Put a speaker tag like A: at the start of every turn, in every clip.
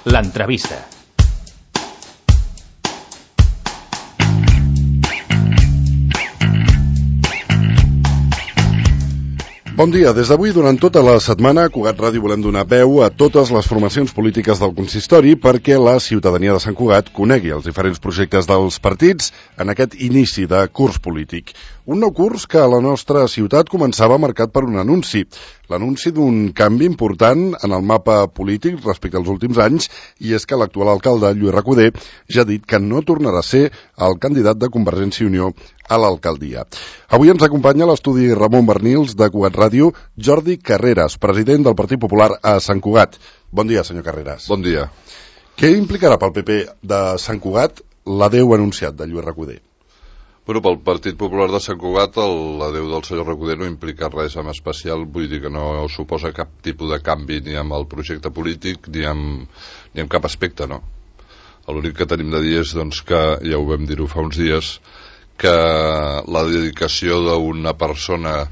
A: L'entrevista.
B: Bon dia. Des d'avui, durant tota la setmana, a Cugat Ràdio volem donar veu a totes les formacions polítiques del consistori perquè la ciutadania de Sant Cugat conegui els diferents projectes dels partits en aquest inici de curs polític. Un nou curs que a la nostra ciutat començava marcat per un anunci. L'anunci d'un canvi important en el mapa polític respecte als últims anys, i és que l'actual alcalde, Lluís Recoder, ja ha dit que no tornarà a ser el candidat de Convergència i Unió a l'alcaldia. Avui ens acompanya a l'estudi Ramon Bernils de Cugat Ràdio, Jordi Carreras, president del Partit Popular a Sant Cugat. Bon dia, senyor Carreras.
C: Bon dia.
B: Què implicarà pel PP de Sant Cugat l'adeu anunciat de Lluís Recoder?
C: Bueno, pel Partit Popular de Sant Cugat l'adeu del senyor Recoder no implica res en especial, vull dir que no suposa cap tipus de canvi ni amb el projecte polític ni amb cap aspecte, no? L'únic que tenim de dir és doncs, que, ja ho vam dir-ho fa uns dies, que la dedicació d'una persona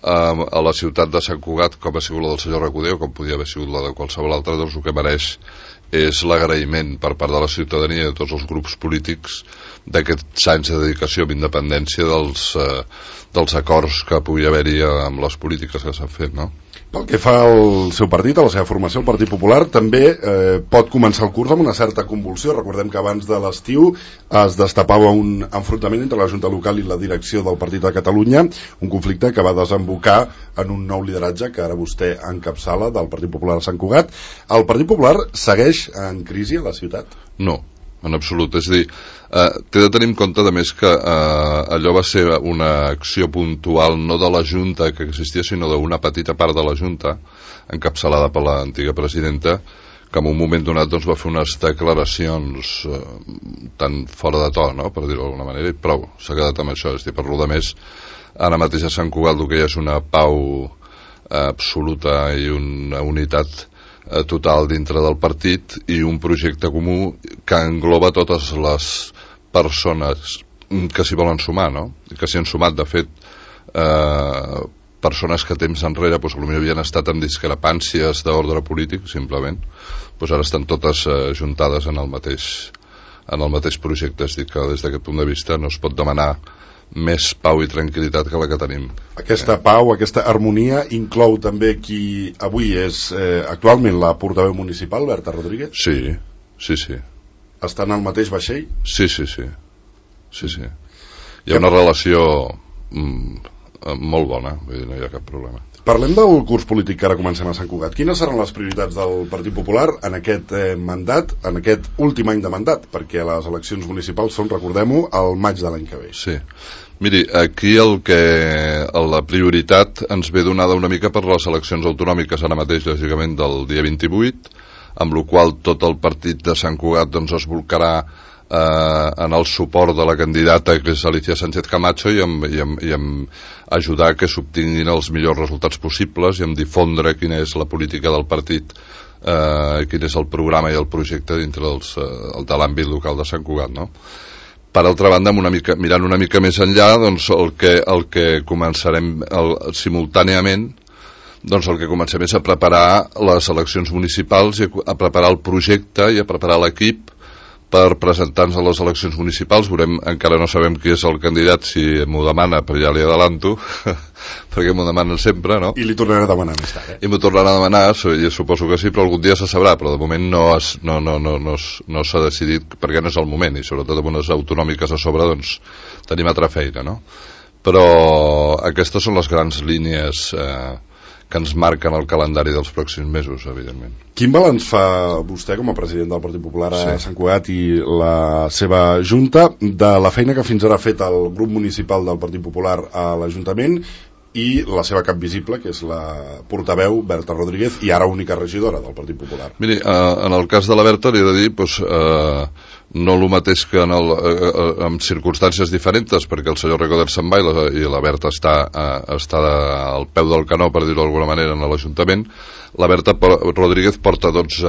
C: a la ciutat de Sant Cugat, com ha sigut la del senyor Recoder o com podia haver sigut la de qualsevol altre, doncs el que mereix és l'agraïment per part de la ciutadania i de tots els grups polítics d'aquests anys de dedicació amb independència dels acords que pugui haver-hi amb les polítiques que s'han fet, no?
B: Pel que fa al seu partit, a la seva formació, el Partit Popular també pot començar el curs amb una certa convulsió. Recordem que abans de l'estiu es destapava un enfrontament entre la Junta Local i la direcció del Partit de Catalunya, un conflicte que va desembocar en un nou lideratge que ara vostè encapçala del Partit Popular a Sant Cugat. El Partit Popular segueix en crisi a la ciutat?
C: No, en absolut. És a dir, té de tenir en compte, a més, que allò va ser una acció puntual no de la Junta que existia, sinó d'una petita part de la Junta, encapçalada per l'antiga presidenta, que en un moment donat doncs, va fer unes declaracions tan fora de to, no?, per dir-ho d'alguna manera, i prou, s'ha quedat amb això. És a dir, per lo de més, ara mateix a Sant Cugat el que hi ha és una pau absoluta i una unitat total dintre del partit i un projecte comú que engloba totes les persones que s'hi volen sumar, no? I que s'hi han sumat, de fet, persones que temps enrere doncs, potser havien estat en discrepàncies d'ordre polític, simplement, doncs ara estan totes juntades en el mateix projecte. És a dir, que des d'aquest punt de vista no es pot demanar més pau i tranquil·litat que la que tenim.
B: Aquesta pau, aquesta harmonia inclou també qui avui és actualment la portaveu municipal, Berta Rodríguez?
C: Sí, sí, sí.
B: Està en el mateix vaixell?
C: Sí, sí, sí. Sí, sí. Hi ha una relació molt bona, vull dir, no hi ha cap problema.
B: Parlem del curs polític que ara comencem a Sant Cugat. Quines seran les prioritats del Partit Popular en aquest mandat, en aquest últim any de mandat? Perquè les eleccions municipals són, recordem-ho, al maig de l'any que ve.
C: Sí. Miri, aquí la prioritat ens ve donada una mica per les eleccions autonòmiques ara mateix, lògicament, del dia 28, amb la qual tot el partit de Sant Cugat doncs, es volcarà en el suport de la candidata que és Alicia Sánchez Camacho i en ajudar que s'obtinguin els millors resultats possibles i en difondre quina és la política del partit, quin és el programa i el projecte dintre de l'àmbit local de Sant Cugat, no? Per altra banda, mirant una mica més enllà, doncs el que començarem simultàniament, doncs el que comencem és a preparar les eleccions municipals i a preparar el projecte i a preparar l'equip per presentar-nos a les eleccions municipals. Encara no sabem qui és el candidat, si m'ho demana, però ja li adelanto, perquè m'ho demanen sempre, no?
B: I li tornaré a demanar més tard,
C: I m'ho tornarà a demanar, suposo que sí, però algun dia se sabrà, però de moment no s'ha decidit perquè no és el moment, i sobretot amb unes autonòmiques a sobre, doncs tenim altra feina, no? Però aquestes són les grans línies que ens marquen el calendari dels pròxims mesos, evidentment.
B: Quin balanç fa vostè com a president del Partit Popular a Sant Cugat i la seva Junta de la feina que fins ara ha fet el grup municipal del Partit Popular a l'Ajuntament i la seva cap visible, que és la portaveu Berta Rodríguez, i ara única regidora del Partit Popular?
C: Miri, en el cas de la Berta li he de dir no el mateix que en circumstàncies diferents, perquè el senyor Recoder se'n va i la Berta està al peu del canó, per dir-ho d'alguna manera, en l'Ajuntament. La Berta Rodríguez porta 12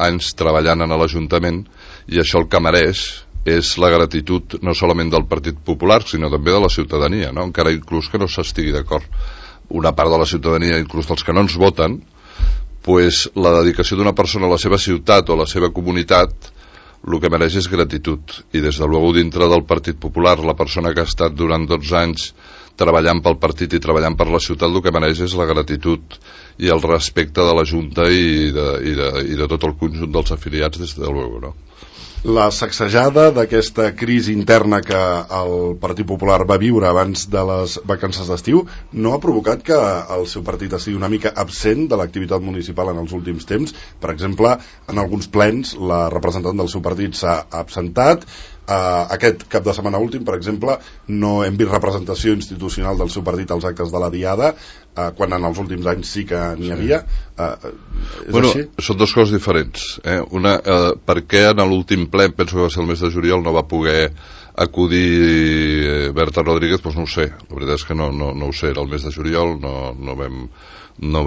C: anys treballant en l'Ajuntament i això el que mereix és la gratitud no solament del Partit Popular, sinó també de la ciutadania, no? Encara inclús que no s'estigui d'acord una part de la ciutadania, inclús dels que no ens voten, pues, la dedicació d'una persona a la seva ciutat o a la seva comunitat, el que mereix és gratitud. I des de luego dintre del Partit Popular, la persona que ha estat durant 12 anys treballant pel partit i treballant per la ciutat, el que mereix és la gratitud i el respecte de la Junta i de tot el conjunt dels afiliats, des de luego, no?
B: La sacsejada d'aquesta crisi interna que el Partit Popular va viure abans de les vacances d'estiu no ha provocat que el seu partit estigui una mica absent de l'activitat municipal en els últims temps? Per exemple, en alguns plens la representant del seu partit s'ha absentat. Aquest cap de setmana últim, per exemple, no hem vist representació institucional del seu partit als actes de la Diada, quan en els últims anys sí que n'hi havia.
C: Bueno,
B: així?
C: Són dues coses diferents. Una, per què en l'últim ple, penso que va ser el mes de juliol, no va poder acudir Berta Rodríguez? Doncs no ho sé, la veritat és que no ho sé, era el mes de juliol, no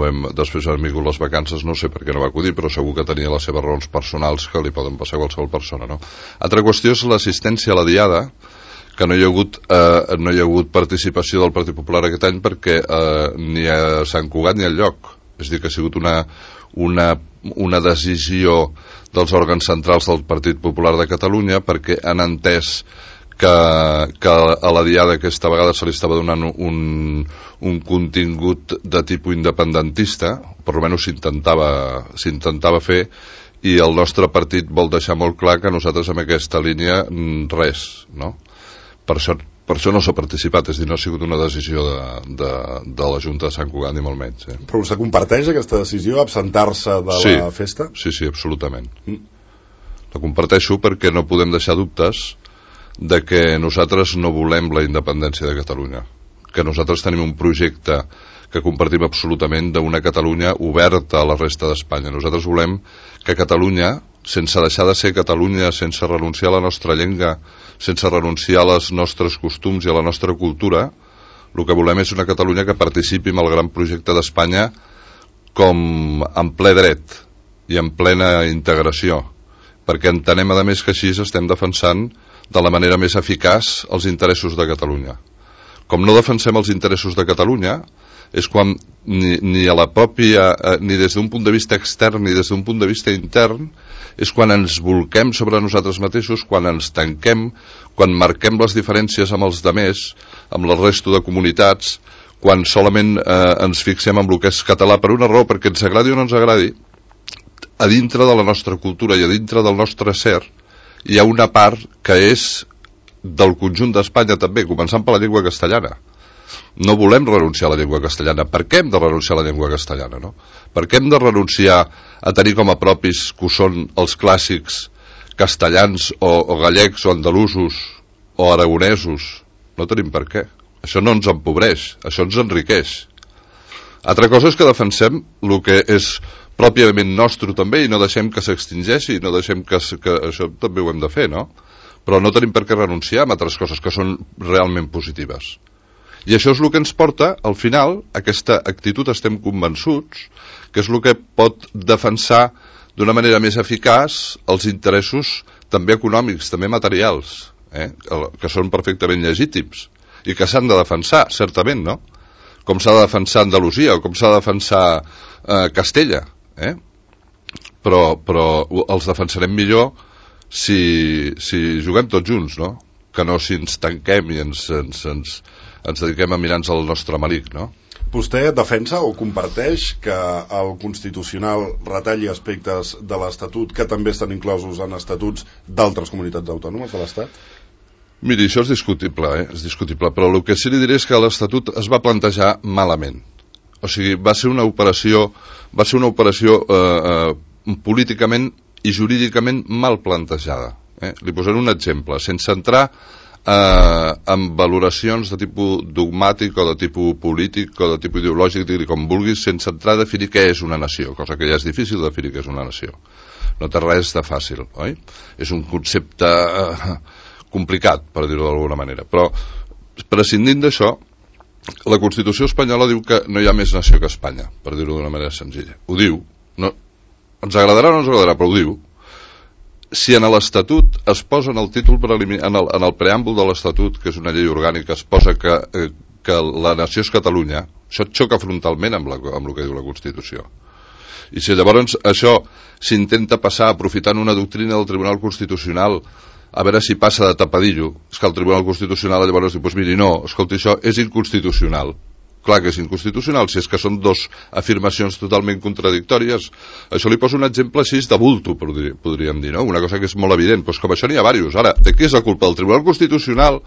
C: vam, després han vingut les vacances, no sé per què no va acudir, però segur que tenia les seves raons personals que li poden passar a qualsevol persona, no? Altra qüestió és l'assistència a la Diada, que no hi ha hagut participació del Partit Popular aquest any perquè ni a Sant Cugat ni al lloc. És a dir, que ha sigut una decisió dels òrgans centrals del Partit Popular de Catalunya, perquè han entès que a la Diada aquesta vegada se li estava donant un contingut de tipus independentista, per almenys s'intentava fer, i el nostre partit vol deixar molt clar que nosaltres en aquesta línia res, no? Per això no s'ha participat, és a dir, no ha sigut una decisió de la Junta de Sant Cugat, ni molt menys.
B: Però vostè comparteix aquesta decisió, absentar-se de la festa?
C: Sí, absolutament. La comparteixo perquè no podem deixar dubtes de que nosaltres no volem la independència de Catalunya, que nosaltres tenim un projecte que compartim absolutament d'una Catalunya oberta a la resta d'Espanya. Nosaltres volem que Catalunya, sense deixar de ser Catalunya, sense renunciar a la nostra llengua, sense renunciar als nostres costums i a la nostra cultura, el que volem és una Catalunya que participi en el gran projecte d'Espanya com en ple dret i en plena integració, perquè entenem a més que així estem defensant de la manera més eficaç els interessos de Catalunya. Com no defensem els interessos de Catalunya, és quan ni a la pròpia, ni des d'un punt de vista extern ni des d'un punt de vista intern, és quan ens volquem sobre nosaltres mateixos, quan ens tanquem, quan marquem les diferències amb els demés, amb la resta de comunitats, quan solament ens fixem en el que és català per una raó, perquè ens agradi o no ens agradi, a dintre de la nostra cultura i a dintre del nostre ser hi ha una part que és del conjunt d'Espanya també, començant per la llengua castellana. No volem renunciar a la llengua castellana. Per què hem de renunciar a la llengua castellana, no? Per què hem de renunciar a tenir com a propis que són els clàssics castellans o gallecs o andalusos o aragonesos? No tenim per què. Això no ens empobreix, això ens enriqueix. Altra cosa és que defensem el que és pròpiament nostre també i no deixem que s'extingeixi, no deixem que això també ho hem de fer, no? Però no tenim per què renunciar a altres coses que són realment positives. I això és el que ens porta, al final, aquesta actitud, estem convençuts, que és el que pot defensar d'una manera més eficaç els interessos també econòmics, també materials, que són perfectament legítims i que s'han de defensar, certament, no? Com s'ha de defensar Andalusia o com s'ha de defensar Castella, però els defensarem millor si juguem tots junts, no? Que no si ens tanquem i ens dediquem a mirar-nos al nostre malic, no?
B: Vostè defensa o comparteix que el Constitucional retalli aspectes de l'Estatut que també estan inclosos en estatuts d'altres comunitats autònomes de l'Estat?
C: Miri, això és discutible, és discutible, però el que sí li diré és que l'Estatut es va plantejar malament. O sigui, va ser una operació políticament i jurídicament mal plantejada. Li posaré un exemple, sense entrar en valoracions de tipus dogmàtic o de tipus polític o de tipus ideològic, com vulguis, sense entrar a definir què és una nació, cosa que ja és difícil definir què és una nació. No té res de fàcil, oi? És un concepte complicat, per dir-ho d'alguna manera. Però, prescindint d'això, la Constitució espanyola diu que no hi ha més nació que Espanya, per dir-ho d'una manera senzilla. Ho diu. No, ens agradarà o no ens agradarà, però ho diu. Si en l'Estatut es posa en el títol preliminar, en el preàmbul de l'Estatut, que és una llei orgànica, es posa que la nació és Catalunya, això xoca frontalment amb el que diu la Constitució. I si llavors això s'intenta passar aprofitant una doctrina del Tribunal Constitucional a veure si passa de tapadillo, és que el Tribunal Constitucional llavors diu, doncs miri, no, escolti, això és inconstitucional. Clar que és inconstitucional, si és que són dos afirmacions totalment contradictòries. Això li poso un exemple així de bulto, podríem dir, no? Una cosa que és molt evident, doncs com això n'hi ha diversos. Ara, de què és la culpa? Del Tribunal Constitucional,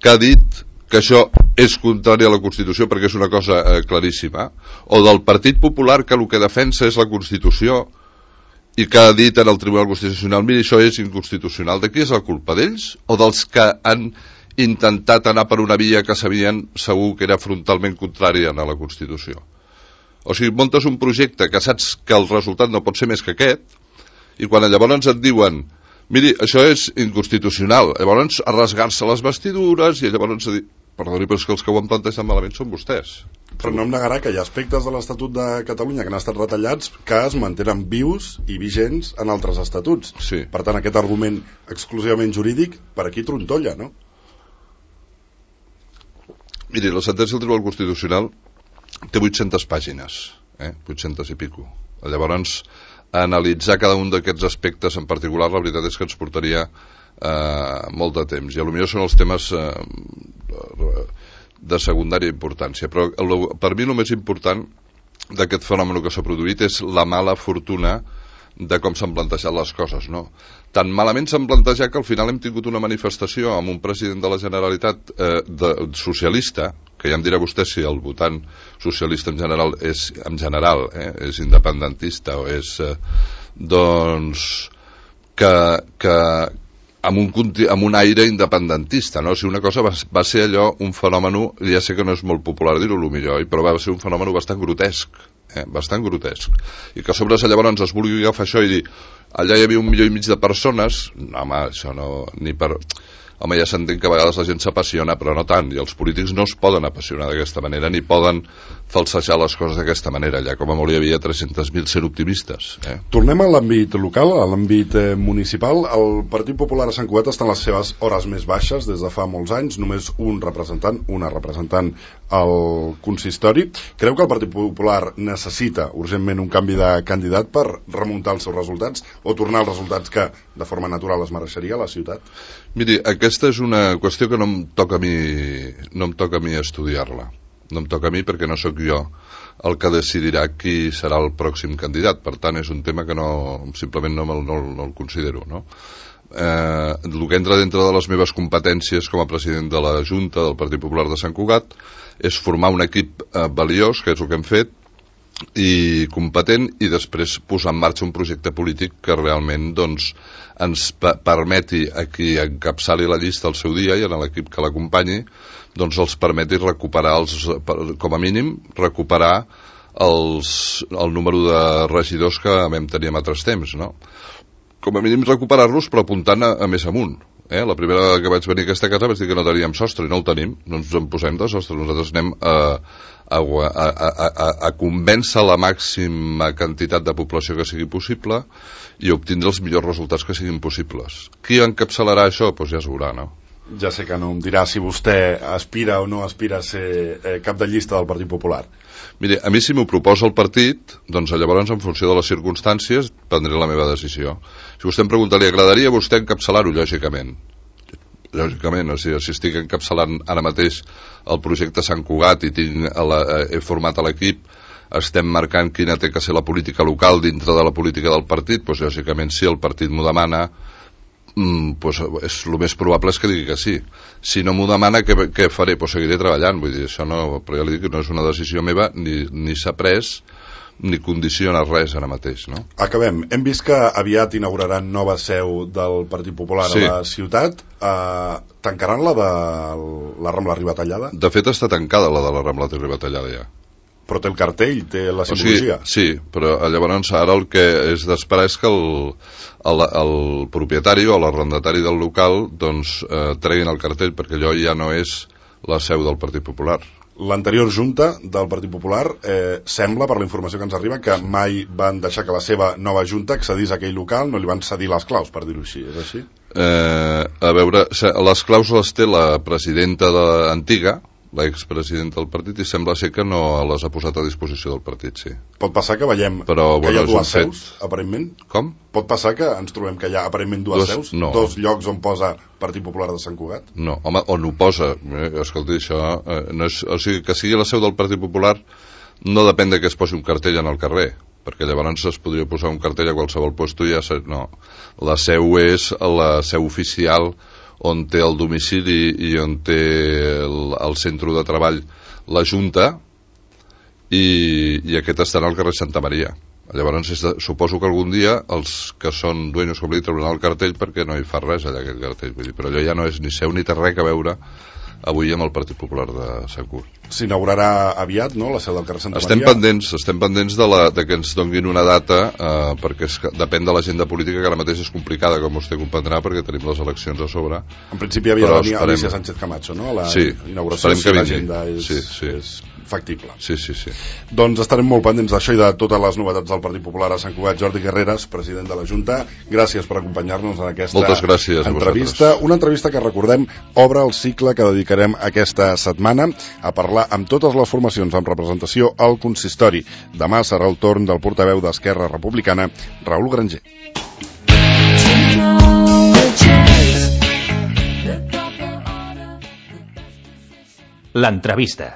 C: que ha dit que això és contrari a la Constitució perquè és una cosa claríssima, o del Partit Popular, que el que defensa és la Constitució i que ha dit en el Tribunal Constitucional, miri, això és inconstitucional. De qui és la culpa? D'ells o dels que han intentat anar per una via que sabien segur que era frontalment contrària a la Constitució? O sigui, muntes un projecte que saps que el resultat no pot ser més que aquest, i quan llavors et diuen, miri, això és inconstitucional, llavors a rasgar-se les vestidures i llavors a dir, perdoni, però és que els que ho han plantejat malament són vostès.
B: Però no em negarà que hi ha aspectes de l'Estatut de Catalunya que han estat retallats que es mantenen vius i vigents en altres estatuts.
C: Sí.
B: Per tant, aquest argument exclusivament jurídic per aquí trontolla, no?
C: Miri, la sentència del Tribunal Constitucional té 800 pàgines, 800 i pico. Llavors, analitzar cada un d'aquests aspectes en particular, la veritat és que ens portaria molt de temps. I potser són els temes de secundària importància. Però per mi el més important d'aquest fenomen que s'ha produït és la mala fortuna de com s'han plantejat les coses, no? Tan malament s'han plantejat que al final hem tingut una manifestació amb un president de la Generalitat socialista, que ja em dirà vostè si el votant socialista en general és independentista o és doncs que amb un aire independentista, no? O sigui, una cosa va ser allò, un fenomen, ja sé que no és molt popular dir-ho millor, però va ser un fenomen bastant grotesc, bastant grotesc, i que a sobre llavors es vulgui agafar això i dir allà hi havia 1,5 milió de persones, no, home, això no, ni per... Home, ja s'entén que a vegades la gent s'apassiona, però no tant, i els polítics no es poden apassionar d'aquesta manera, ni poden falsejar les coses d'aquesta manera, allà com a molt hi havia 300.000 sent optimistes.
B: Tornem a l'àmbit local, a l'àmbit municipal. El Partit Popular a Sant Cugat està en les seves hores més baixes des de fa molts anys, només una representant al consistori. Creu que el Partit Popular necessita urgentment un canvi de candidat per remuntar els seus resultats o tornar als resultats que de forma natural es mereixeria a la ciutat?
C: Miri, aquesta és una qüestió que no em toca a mi estudiar-la. No em toca a mi perquè no sóc jo el que decidirà qui serà el pròxim candidat. Per tant, és un tema que simplement no el considero, no? El que entra dintre de les meves competències com a president de la Junta del Partit Popular de Sant Cugat és formar un equip valiós, que és el que hem fet, i competent, i després posar en marxa un projecte polític que realment doncs, ens permeti a qui encapçali la llista al seu dia i en l'equip que l'acompanyi doncs els permeti recuperar com a mínim recuperar el número de regidors que vam tenir en altres temps, no? Com a mínim recuperar-los però apuntant a més amunt. La primera vegada que vaig venir a aquesta casa vaig dir que no teníem sostre i no el tenim, no ens en posem de sostre, nosaltres anem a convèncer la màxima quantitat de població que sigui possible i obtindre els millors resultats que siguin possibles. Qui encapçalarà això? Doncs ja es veurà, no?
B: Ja sé que no em dirà si vostè aspira o no aspira a ser cap de llista del Partit Popular.
C: Mire, a mi si m'ho proposa el partit, doncs llavors en funció de les circumstàncies prendré la meva decisió. Si vostè em pregunta, li agradaria a vostè encapçalar-ho? Lògicament, o sigui, si estic encapçalant ara mateix el projecte Sant Cugat i he format l'equip, estem marcant quina té que ser la política local dintre de la política del partit, doncs lògicament si el partit m'ho demana, pues és el més probable és que digui que sí. Si no m'ho demana, què faré? Pues seguiré treballant, vull dir, això no, però ja li dic que no és una decisió meva, ni s'ha pres ni condiciona res ara mateix, no?
B: Acabem. Hem vist que aviat inauguraran nova seu del Partit Popular a la ciutat. Tancaran la de la Rambla Ribatallada?
C: De fet està tancada la de la Rambla Ribatallada ja.
B: Però té el cartell, té la simbologia.
C: Sí, però llavors ara el que és d'esperar és que el propietari o l'arrendatari del local doncs treguin el cartell, perquè allò ja no és la seu del Partit Popular.
B: L'anterior Junta del Partit Popular sembla, per la informació que ens arriba, que mai van deixar que la seva nova Junta accedís a aquell local, no li van cedir les claus, per dir-ho així, és així?
C: A veure, les claus les té la presidenta antiga, l'expresident del partit, i sembla ser que no les ha posat a disposició del partit, sí.
B: Pot passar que veiem
C: però,
B: que hi ha dues seus, aparentment?
C: Com?
B: Pot passar que ens trobem que hi ha aparentment dues seus?
C: No.
B: Dos llocs on posa Partit Popular de Sant Cugat?
C: No, home, on ho posa, escolti, això no és, o sigui, que sigui la seu del Partit Popular no depèn de que es posi un cartell en el carrer, perquè llavors es podria posar un cartell a qualsevol lloc, ja no. La seu és la seu oficial, on té el domicili i on té el centre de treball la Junta, i aquest estarà al carrer Santa Maria. Llavors suposo que algun dia els que són dueños com li trauran el cartell, perquè no hi fa res allà aquest cartell, vull dir, però allò ja no és ni seu ni té res a veure avui amb el Partit Popular de Sant Cugat.
B: S'inaugurarà aviat, no?, la seu del carrer Santa Maria?
C: Estem pendents de que ens donguin una data, perquè depèn de l'agenda política, que ara mateix és complicada, com vostè comprendrà, perquè tenim les eleccions a sobre.
B: En principi havia de venir Alicia Sánchez Camacho, no?, a la inauguració, si l'agenda és factible.
C: Sí.
B: Doncs estarem molt pendents d'això i de totes les novetats del Partit Popular a Sant Cugat. Jordi Carreras, president de la Junta, gràcies per acompanyar-nos en aquesta entrevista. Una entrevista que, recordem, obre el cicle que dedicarem aquesta setmana a parlar amb totes les formacions amb representació al consistori. Demà serà el torn del portaveu d'Esquerra Republicana, Raül Granger.
A: L'entrevista.